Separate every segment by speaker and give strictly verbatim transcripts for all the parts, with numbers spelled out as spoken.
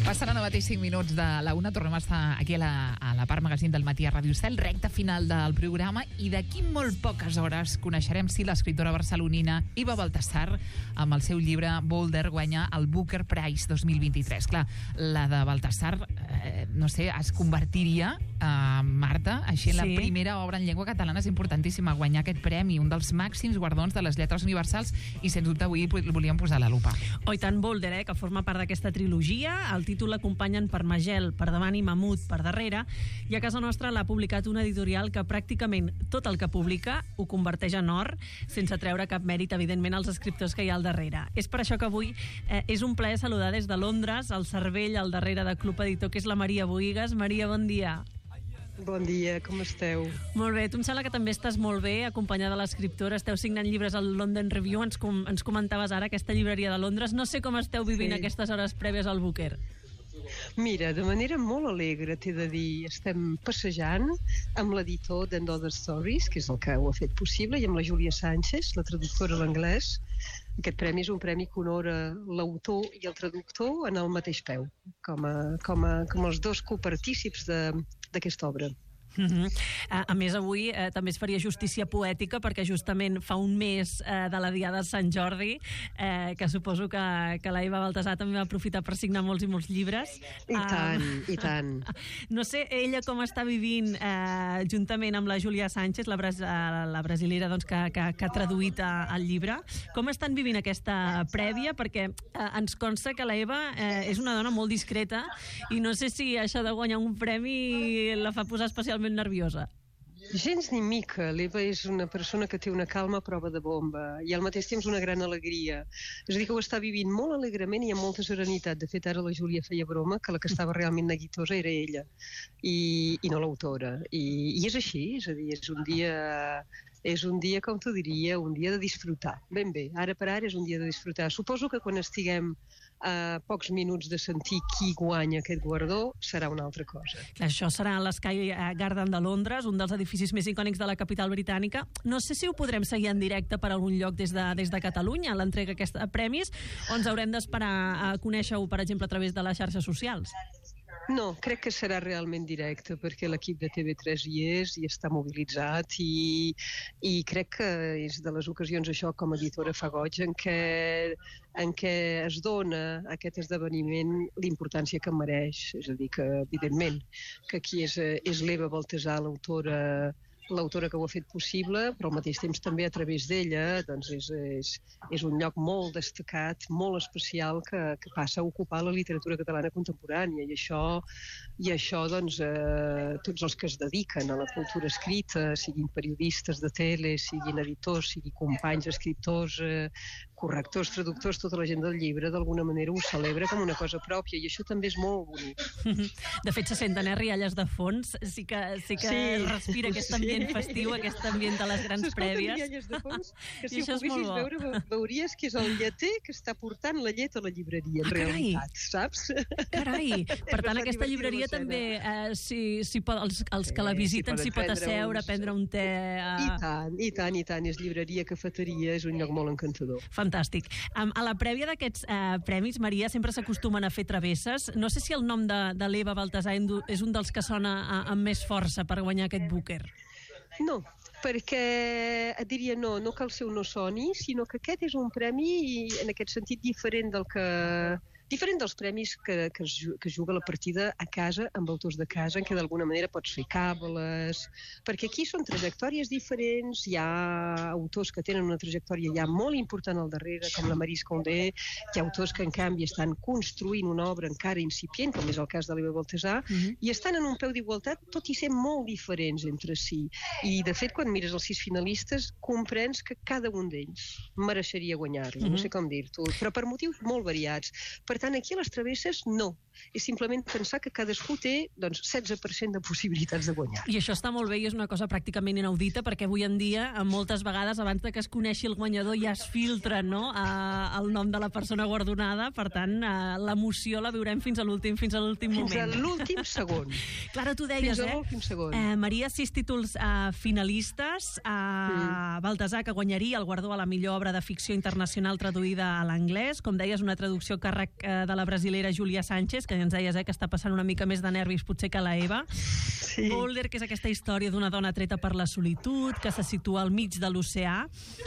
Speaker 1: Passaran ara mateix cinc minuts de la una. Tornem a estar aquí a la, a la part magazín del matí a Ràdio Cel, recta final del programa, i d'aquí molt poques hores coneixerem si l'escriptora barcelonina Eva Baltasar, amb el seu llibre Boulder, guanya el Booker Prize dos mil vint-i-tres. Clar, la de Baltasar, eh, no sé, es convertiria, eh, Marta, així en la
Speaker 2: Sí.
Speaker 1: primera obra en llengua catalana. És importantíssima guanyar aquest premi, un dels màxims guardons de les lletres universals, i sens dubte avui el volíem posar a la lupa.
Speaker 2: Oh, i tant, Boulder, eh, que forma part d'aquesta trilogia. El títol l'acompanyen per Magel, per davant, i Mamut per darrere, i a casa nostra l'ha publicat una editorial que pràcticament tot el que publica ho converteix en or, sense treure cap mèrit, evidentment, als escriptors que hi ha al darrere. És per això que avui eh, és un plaer saludar des de Londres el cervell al darrere de Club Editor, que és la Maria Bohigas. Maria, bon dia.
Speaker 3: Bon dia, com esteu?
Speaker 2: Molt bé, tu em sembla que també estàs molt bé, acompanyada de l'escriptora, esteu signant llibres al London Review, ens, com, ens comentaves ara aquesta llibreria de Londres. No sé com esteu vivint
Speaker 3: Sí.
Speaker 2: aquestes hores prèvies al Booker.
Speaker 3: Mira, de manera molt alegre, t'he de dir, estem passejant amb l'editor d'Another Stories, que és el que ho ha fet possible, i amb la Júlia Sánchez, la traductora a l'anglès. Aquest premi és un premi que honora l'autor i el traductor en el mateix peu, com, a, com, a, com els dos copartícips d'aquesta obra.
Speaker 2: Uh-huh. a, a més, avui eh, també es faria justícia poètica, perquè justament fa un mes eh, de la Diada de Sant Jordi, eh, que suposo que, que la Eva Baltasar també va aprofitar per signar molts i molts llibres.
Speaker 3: I tant, uh, i tant.
Speaker 2: No sé ella com està vivint, eh, juntament amb la Júlia Sánchez, la, bras la brasilera, doncs, que, que, que ha traduït el llibre. Com estan vivint aquesta prèvia? Perquè eh, ens consta que la Eva eh, és una dona molt discreta, i no sé si això de guanyar un premi la fa posar especialment nerviosa.
Speaker 3: Gens ni mica. L'Eva és una persona que té una calma a prova de bomba i al mateix temps una gran alegria. És a dir, que ho està vivint molt alegrement i amb molta serenitat. De fet, ara la Júlia feia broma que la que estava realment neguitosa era ella i, i no l'autora. I, I és així, és a dir, és un dia... És un dia, com t'ho diria, un dia de disfrutar. Ben bé, ara per ara és un dia de disfrutar. Suposo que quan estiguem a pocs minuts de sentir qui guanya aquest guardó serà una altra cosa.
Speaker 2: Això serà a l'Sky Garden de Londres, un dels edificis més icònics de la capital britànica. No sé si ho podrem seguir en directe per algun lloc des de, des de Catalunya, l'entrega d'aquests premis, o ens haurem d'esperar a conèixer-ho, per exemple, a través de les xarxes socials?
Speaker 3: No, crec que serà realment directe, perquè l'equip de T V tres hi és i està mobilitzat, i, i crec que és de les ocasions, això, com a editora fa goig, en què, en què es dona a aquest esdeveniment l'importància que mereix. És a dir, que evidentment que aquí és, és l'Eva Baltasar, l'autora l'autora que ho ha fet possible, però al mateix temps també a través d'ella doncs és, és, és un lloc molt destacat, molt especial, que, que passa a ocupar la literatura catalana contemporània, i això, i això doncs, eh, tots els que es dediquen a la cultura escrita, siguin periodistes de tele, siguin editors, siguin companys, escriptors, eh, correctors, traductors, tota la gent del llibre, d'alguna manera ho celebra com una cosa pròpia, i això també és molt bonic.
Speaker 2: De fet, se senten eh, rialles de fons, sí que, sí que sí, respira aquest ambient sí. festiu, aquest ambient de les grans prèvies.
Speaker 3: Rialles de fons, que si
Speaker 2: I
Speaker 3: ho poguessis veure, veuries que és el lleter que està portant la llet a la llibreria, en
Speaker 2: ah,
Speaker 3: realitat, saps?
Speaker 2: Carai! Per tant, aquesta llibreria també, eh, si, si pot, els, els que la visiten s'hi pot asseure, uns... prendre un te... Eh...
Speaker 3: I tant, i tant, i tant, és llibreria, cafeteria, és un lloc molt encantador.
Speaker 2: Fantàstic. Um, a la prèvia d'aquests uh, premis, Maria, sempre s'acostumen a fer travesses. No sé si el nom de, de l'Eva Baltasar és un dels que sona uh, amb més força per guanyar aquest Booker.
Speaker 3: No, perquè et diria no, no que el seu no soni, sinó que aquest és un premi en aquest sentit diferent del que... diferent dels premis que, que, es, que es juga la partida a casa, amb autors de casa, en què d'alguna manera pots fer càbales, perquè aquí són trajectòries diferents, hi ha autors que tenen una trajectòria ja molt important al darrere, com la Maryse Condé, hi ha autors que en canvi estan construint una obra encara incipient, com és el cas de l'Eva Baltasar, uh-huh. i estan en un peu d'igualtat, tot i ser molt diferents entre si. I de fet, quan mires els sis finalistes, comprens que cada un d'ells mereixeria guanyar-lo, uh-huh. no sé com dir-t'ho, però per motius molt variats. Per tant, aquí a les travesses, no. És simplement pensar que cadascú té doncs, setze per cent de possibilitats de guanyar.
Speaker 2: I això està molt bé i és una cosa pràcticament inaudita, perquè avui en dia, moltes vegades, abans de que es coneixi el guanyador, ja es filtra, no?, a, el nom de la persona guardonada. Per tant, l'emoció la viurem fins a l'últim fins a l'últim moment.
Speaker 3: Fins a l'últim segon.
Speaker 2: Clara, tu deies,
Speaker 3: fins a l'últim segon.
Speaker 2: eh? Maria, sis títols eh, finalistes. Eh, mm. Baltasar, que guanyaria el guardó a la millor obra de ficció internacional traduïda a l'anglès. Com deies, una traducció càrrec de la brasilera Júlia Sánchez, que ens deies eh, que està passant una mica més de nervis potser que la Eva.
Speaker 3: Sí.
Speaker 2: Boulder, que és aquesta història d'una dona treta per la solitud, que se situa al mig de l'oceà.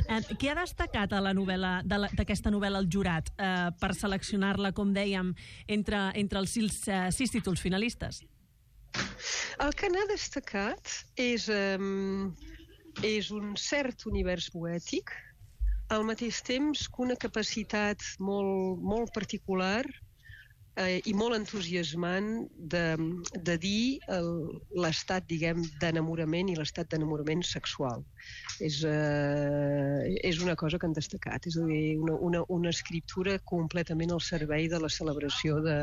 Speaker 2: Eh, què ha destacat a la novel·la d'aquesta novel·la el jurat eh, per seleccionar-la, com dèiem, entre, entre els sis, eh, sis títols finalistes?
Speaker 3: El que n'ha destacat és, um, és un cert univers poètic, al mateix temps que una capacitat molt, molt particular eh, i molt entusiasmant de, de dir l'estat, diguem, d'enamorament i l'estat d'enamorament sexual. És, eh, és una cosa que han destacat, és a dir, una, una, una escriptura completament al servei de la celebració de,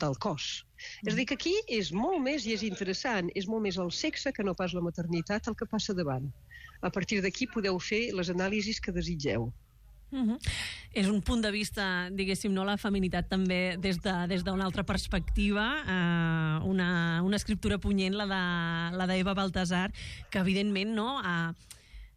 Speaker 3: del cos. És a dir, que aquí és molt més, i és interessant, és molt més el sexe que no pas la maternitat el que passa davant. A partir d'aquí podeu fer les anàlisis que desitgeu.
Speaker 2: Uh-huh. És un punt de vista, diguéssim, no, la feminitat també des de, des d'una altra perspectiva, eh, una, una escriptura punyent, la de la d'Eva Baltasar, que evidentment no ha,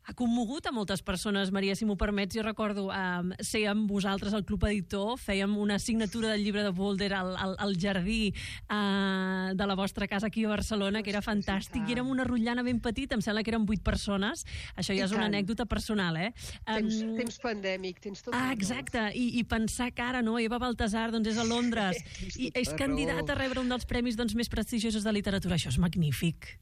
Speaker 2: ha commogut a moltes persones. Maria, si m'ho permets, jo recordo eh, ser amb vosaltres al Club Editor, fèiem una signatura del llibre de Boulder al, al, al jardí eh, de la vostra casa aquí a Barcelona, que era fantàstic, i érem una rotllana ben petita, em sembla que eren vuit persones. Això ja és una anècdota personal, eh?
Speaker 3: Temps, um, temps pandèmic, tens tot.
Speaker 2: Ah, exacte, I, i pensar que ara, no, Eva Baltasar doncs és a Londres i és candidata a rebre un dels premis doncs, més prestigiosos de literatura. Això és magnífic.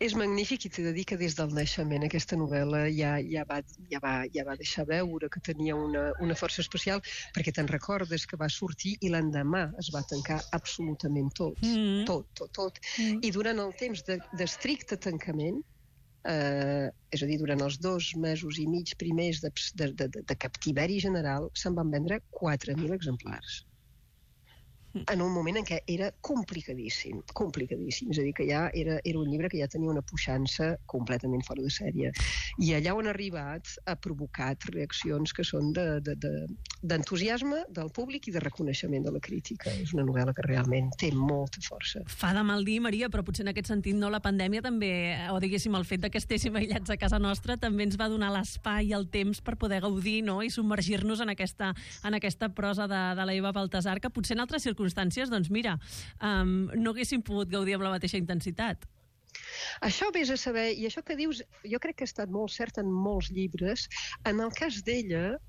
Speaker 3: És magnífic, i t'he de dir que des del naixement aquesta novel·la ja, ja, va, ja, va, ja va deixar veure que tenia una, una força especial, perquè te'n recordes que va sortir i l'endemà es va tancar absolutament tot, mm. tot, tot, tot. Mm. I durant el temps d'estricte tancament, eh, és a dir, durant els dos mesos i mig primers de, de, de, de captiveri general, se'n van vendre quatre mil exemplars. En un moment en què era complicadíssim, complicadíssim. És a dir, que ja era, era un llibre que ja tenia una puixança completament fora de sèrie. I allà on ha arribat ha provocat reaccions que són d'entusiasme de, de, del públic i de reconeixement de la crítica. És una novel·la que realment té molta força.
Speaker 2: Fa de mal dir, Maria, però potser en aquest sentit no, la pandèmia també, o diguéssim el fet de que estéssim aïllats a casa nostra, també ens va donar l'espai i el temps per poder gaudir, no?, i submergir-nos en aquesta, en aquesta prosa de, de la Eva Baltasar, que potser en altres circumstàncies doncs mira, um, no haguéssim pogut gaudir amb la mateixa intensitat.
Speaker 3: Això vés a saber, i això que dius, jo crec que ha estat molt cert en molts llibres. En el cas d'ella,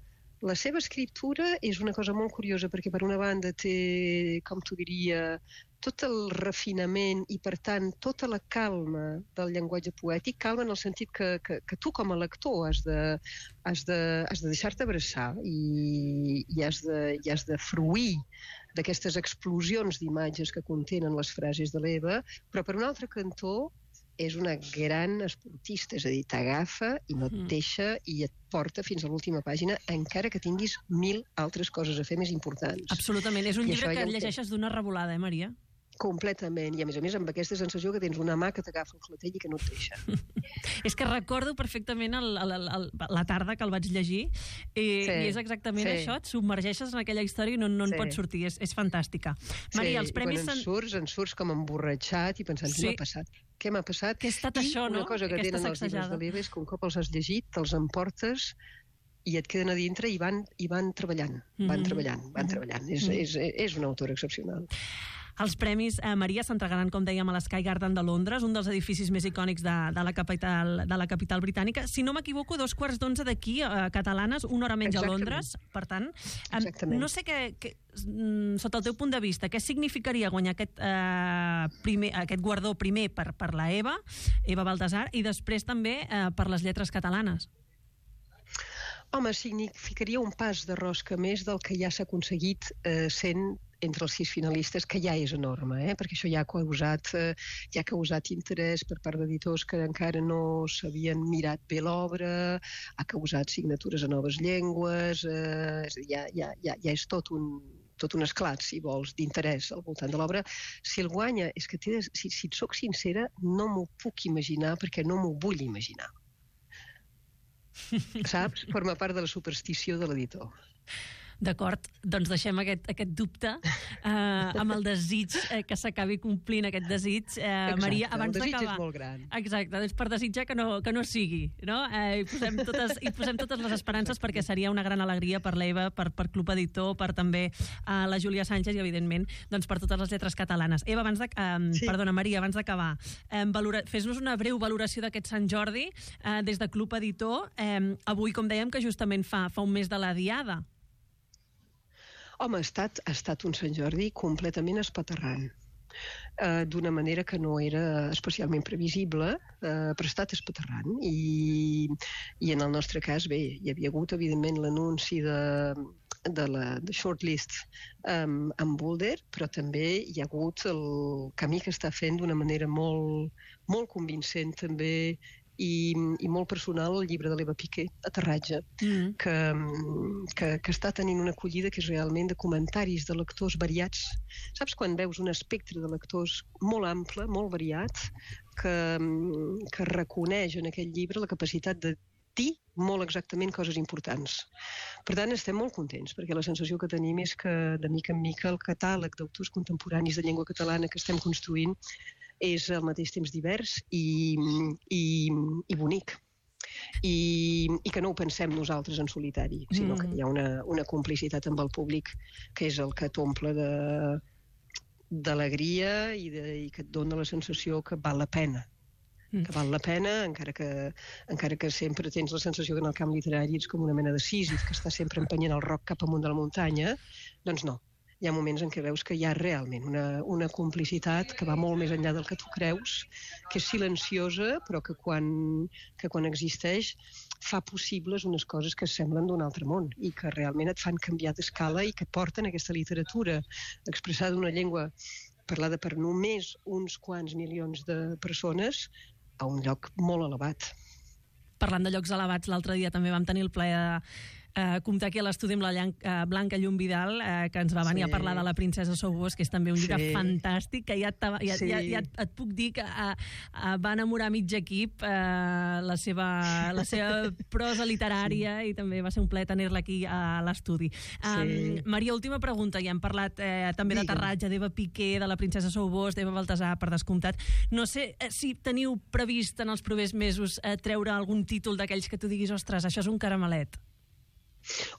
Speaker 3: la seva escriptura és una cosa molt curiosa, perquè per una banda té, com t'ho diria, tot el refinament i, per tant, tota la calma del llenguatge poètic, calma en el sentit que, que, que tu com a lector has de, has de, has de deixar-te abraçar i, i, has de, i has de fruir d'aquestes explosions d'imatges que contenen les frases de l'Eva, però per un altre cantó és una gran esportista, és a dir, t'agafa i no et deixa i et porta fins a l'última pàgina, encara que tinguis mil altres coses a fer més importants.
Speaker 2: Absolutament, és un I llibre que llegeixes d'una revolada, eh, Maria?
Speaker 3: Completament, i a més a més amb aquesta sensació que tens una mà que t'agafa el clatell i que no et deixa.
Speaker 2: És que recordo perfectament el, el, el, la tarda que el vaig llegir i, sí, i és exactament sí. això, et submergeixes en aquella història i no, no en sí. pots sortir, és, és fantàstica. Maria, sí, els premis...
Speaker 3: I quan en surts, en surts com emborratxat i pensant, sí. què m'ha passat? Què m'ha passat?
Speaker 2: Què ha estat
Speaker 3: I
Speaker 2: això, no?
Speaker 3: una cosa que
Speaker 2: Aquesta
Speaker 3: tenen
Speaker 2: sacsejada.
Speaker 3: Els llibres de l'Eva és que un cop els has llegit, te'ls emportes i et queden a dintre i van, i van treballant, van mm-hmm. treballant, van mm-hmm. treballant. És, mm-hmm. és, és una autora excepcional.
Speaker 2: Els premis, eh, Maria, s'entregaran, com dèiem, a l'Sky Garden de Londres, un dels edificis més icònics de, de, la, capital, de la capital britànica. Si no m'equivoco, dos quarts d'onze d'aquí, eh, catalanes, una hora menys Exactament. A Londres. Per tant, eh, no sé què, què, sota el teu punt de vista, què significaria guanyar aquest, eh, primer, aquest guardó primer per, per la Eva, Eva Baltasar, i després també eh, per les lletres catalanes?
Speaker 3: Home, significaria un pas de rosca més del que ja s'ha aconseguit eh, sent entre els sis finalistes, que ja és enorme, eh? perquè això ja ha causat, eh, ja ha causat interès per part d'editors que encara no s'havien mirat bé l'obra, ha causat signatures a noves llengües, eh, és a dir, ja, ja, ja, ja és tot un, tot un esclat, si vols, d'interès al voltant de l'obra. Si el guanya, és que de, si, si et soc sincera, no m'ho puc imaginar, perquè no m'ho vull imaginar. Saps? Forma part de la superstició de l'editor.
Speaker 2: D'acord, doncs deixem aquest, aquest dubte eh, amb el desig eh, que s'acabi complint aquest desig. Eh,
Speaker 3: Exacte,
Speaker 2: Maria, abans
Speaker 3: el desig
Speaker 2: d'acabar...
Speaker 3: és molt gran.
Speaker 2: Exacte, doncs per desitjar que no, que no sigui, no? Eh, i, posem totes, I posem totes les esperances Exacte. Perquè seria una gran alegria per l'Eva, per, per Club Editor, per també eh, la Júlia Sánchez i, evidentment, doncs per totes les lletres catalanes. Eva, abans de... Eh, sí. Perdona, Maria, abans d'acabar, eh, valora... fes-nos una breu valoració d'aquest Sant Jordi eh, des de Club Editor. Eh, avui, com dèiem, que justament fa, fa un mes de la Diada.
Speaker 3: Home, ha estat, ha estat un Sant Jordi completament espaterrant, eh, d'una manera que no era especialment previsible, eh, però ha estat espaterrant. I, I en el nostre cas, bé, hi havia hagut, evidentment, l'anunci de, de la de shortlist um, amb Boulder, però també hi ha hagut el camí que està fent d'una manera molt, molt convincent, també, i, i molt personal, el llibre de l'Eva Piqué, Aterratge, mm. que, que, que està tenint una acollida que és realment de comentaris de lectors variats. Saps quan veus un espectre de lectors molt ample, molt variat, que, que reconeix en aquest llibre la capacitat de dir molt exactament coses importants. Per tant, estem molt contents, perquè la sensació que tenim és que, de mica en mica, el catàleg d'autors contemporanis de llengua catalana que estem construint és al mateix temps divers i, i, i bonic. I, i que no ho pensem nosaltres en solitari, sinó mm. que hi ha una, una complicitat amb el públic que és el que t'omple de, d'alegria i, de, i que et dona la sensació que val la pena. que val la pena, encara que, encara que sempre tens la sensació que en el camp literari ets com una mena de Sísif que està sempre empenyent el roc cap amunt de la muntanya, doncs no. Hi ha moments en què veus que hi ha realment una, una complicitat que va molt més enllà del que tu creus, que és silenciosa, però que quan, que quan existeix fa possibles unes coses que semblen d'un altre món i que realment et fan canviar d'escala i que porten aquesta literatura expressada d'una llengua parlada per només uns quants milions de persones a un lloc molt elevat.
Speaker 2: Parlant de llocs elevats, l'altre dia també vam tenir el plaer de Uh, comptar aquí a l'estudi amb la Llan uh, Blanca Llum Vidal, uh, que ens va venir sí. a parlar de La princesa Sobós, que és també un llibre sí. fantàstic, que ja, ja, sí. ja, ja et puc dir que uh, uh, va enamorar mig equip, uh, la, seva, la seva prosa literària sí. i també va ser un plaer tenir-la aquí a l'estudi. Um, sí. Maria, última pregunta, ja hem parlat uh, també Digue'm. d'Aterratge, d'Eva Piqué, de La princesa Sobós, d'Eva Baltasar, per descomptat. No sé uh, si teniu previst en els propers mesos uh, treure algun títol d'aquells que tu diguis, ostres, això és un caramelet.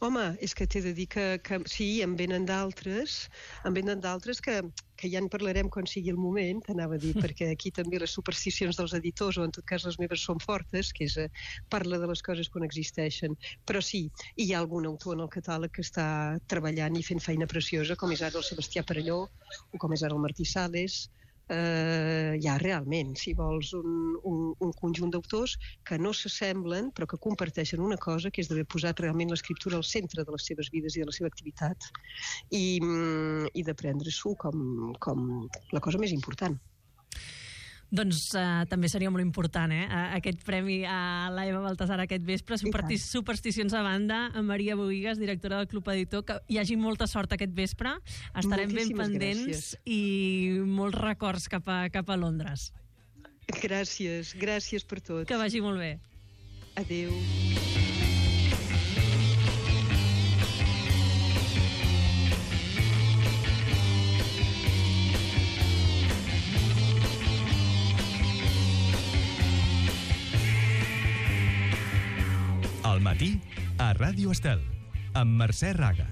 Speaker 3: Home, és que t'he de dir que, que sí, en venen d'altres, en venen d'altres que, que ja en parlarem quan sigui el moment, t'anava a dir, perquè aquí també les supersticions dels editors, o en tot cas les meves són fortes, que és eh, parla de les coses quan existeixen. Però sí, hi ha algun autor en el catàleg que està treballant i fent feina preciosa, com és ara el Sebastià Perelló, o com és ara el Martí Sales. Uh, hi ha realment, si vols, un, un, un conjunt d'autors que no s'assemblen però que comparteixen una cosa, que és d'haver posat realment l'escriptura al centre de les seves vides i de la seva activitat i, i de prendre-s'ho com, com la cosa més important.
Speaker 2: Doncs uh, també seria molt important, eh? Aquest premi a la Eva Baltasar aquest vespre. Supersti supersticions a banda, a Maria Bohigas, directora del Club Editor, que hi hagi molta sort aquest vespre. Estarem Moltíssimes ben pendents gràcies. I molts records cap a, cap a Londres.
Speaker 3: Gràcies, gràcies per tot.
Speaker 2: Que vagi molt bé.
Speaker 3: Adéu.
Speaker 4: Al matí, a Ràdio Estel, amb Mercè Raga.